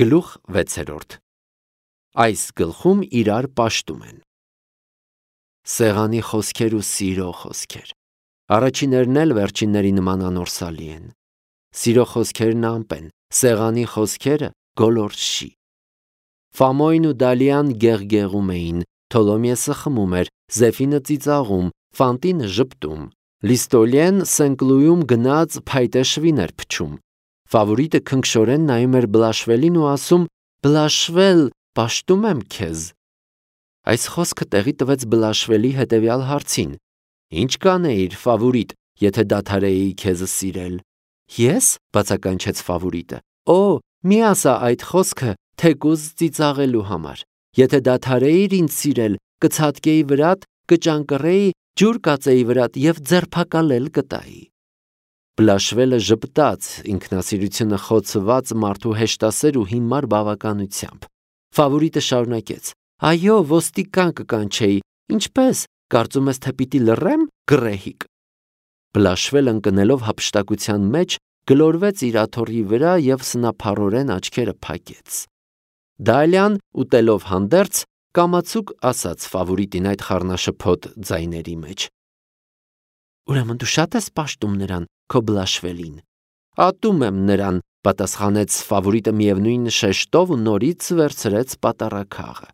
Գլուխ 6 Այս գլխում իրար պաշտում են սեղանի խոսքեր ու սիրո խոսքեր։ Առաջիներն էլ վերջինների նման անորսալի են։ Սիրո խոսքերն ամպ են, սեղանի խոսքերը գոլորշի։ Ֆամոյն ու Դալիան գեղգեղում էին, Թոլոմիեսը խմում էր, Զեֆինը ծիծաղում, Ֆանտինը ժպտում, Լիստոլիեն Սենկլույում գնաց փայտե շվին էր փչում։ Ֆավորիտը քնքշորեն նայում էր Բլաշվելին ու ասում. «Բլաշվել, պաշտում եմ քեզ»։ Այս խոսքը տեղի տվեց Բլաշվելի հետևյալ հարցին. «Ինչ կանեիր, Ֆավորիտ, եթե դադարեի քեզ սիրել»։ «Ես»։ բացականչեց Ֆավորիտը։ «Օ, մի ասա այդ խոսքը թեկուզ ծիծաղելու համար։ Եթե դադարեիր ինձ սիրել, կցատկեի վրատ, կճանկռեի, ջուր կածեի վրատ և ձերբակալել կտայի»։ Բլաշվելը ժպտաց ինքնասիրությունը խոցված մարդու հեշտասեր ու հիմար բավականությամբ։ Ֆավորիտը շարունակեց. «Այո, ոստիկան կկանչեի, ինչպե՞ս, կարծում ես, թե պիտի լռեմ, գռեհիկ»։ Բլաշվելը ընկնելով հափշտակության մեջ գլորվեց իր աթոռի վրա և սնափառորեն աչքերը փակեց։ Դալիան ուտելով հանդերձ կամացուկ ասաց Ֆավորիտին այդ խառնաշփոթ ձայների մեջ. «Ուրեմն դու շատ ես պաշտում նրան, քո Բլաշվելին»։ «Ատում եմ նրան», պատասխանեց Ֆավորիտը միևնույն շեշտով ու նորից վերցրեց պատառաքաղը։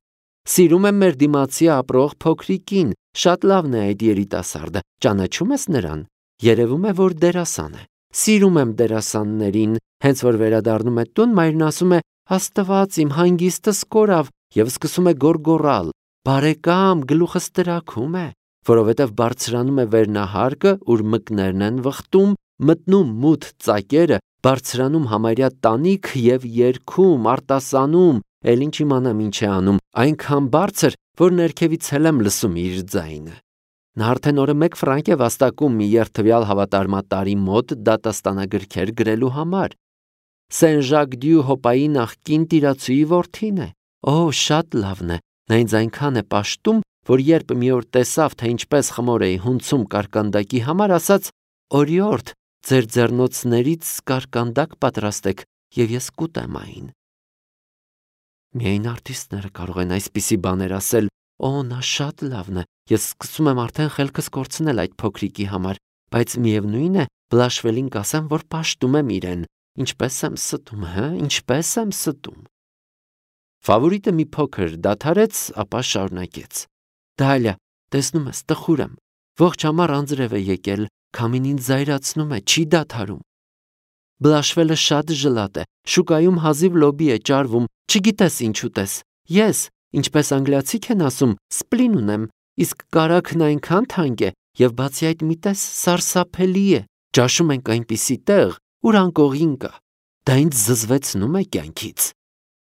«Սիրում եմ մեր դիմացի ապրող փոքրիկին, շատ լավն է այդ երիտասարդը, ճանաչում ես նրան։ Երևում է, որ դերասան է։ Սիրում եմ դերասաններին, հենց որ վերադառնում է տուն, մայրն ասում է. «Աստված իմ, հանգիստս կորավ» և սկսում է գոռգոռալ. «Բարեկամ, գլուխս տրաքում է», որովհետև բարձրանում է վերնահարկը, ուր մկներն են վխտում, մտնում մութ ծակերը, բարձրանում համարյա տանիք և երգում, արտասանում, էլ ինչ իմանամ ինչ է անում, այնքան բարձր, որ ներքևից էլ եմ լսում իր ձայնը։ Նա արդեն օրը 1 ֆրանկ է վաստակում մի երդվյալ հավատարմատարի մոտ դատաստանագրքեր գրելու համար։ Սեն Ժակ դյու Հոպայի նախկին տիրացուի որդին է։ Օ, շատ լավն է, նա ինձ այնքան է պաշտում, որ երբ մի օր տեսավ, թե ինչպես խմոր էի հունցում կարկանդակի համար, ասաց. «Օրիորդ, ձեր ձեռնոցներից կարկանդակ պատրաստեք, և ես կուտեմ այն»։ Միայն արտիստները կարող են այսպիսի բաներ ասել։ Օ, նա շատ լավն է, ես սկսում եմ արդեն խելքս կորցնել այդ փոքրիկի համար, բայց միևնույն է, Բլաշվելին կասեմ, որ պաշտում եմ իրեն։ Ինչպես եմ ստում, ինչպես եմ ստում։ Ֆավորիտը մի փոքր դադարեց, ապա շարունակեց. «Դալիա, տեսնում ես, տխուր եմ, ողջ ամառ անձրև է եկել, քամին ինձ զայրացնում է, չի դադարում։ Բլաշվելը շատ ժլատ է, շուկայում հազիվ լոբի է ճարվում, չգիտես ինչ ուտես։ Ես, ինչպես անգլիացիք են ասում, սպլին ունեմ, իսկ կարագն այնքան թանկ է, և բացի այդ մի տես սարսափելի է, ճաշում ենք այնպիսի տեղ, ուր անկողին կա։ Դա ինձ զզվեցնում է կյանքից»։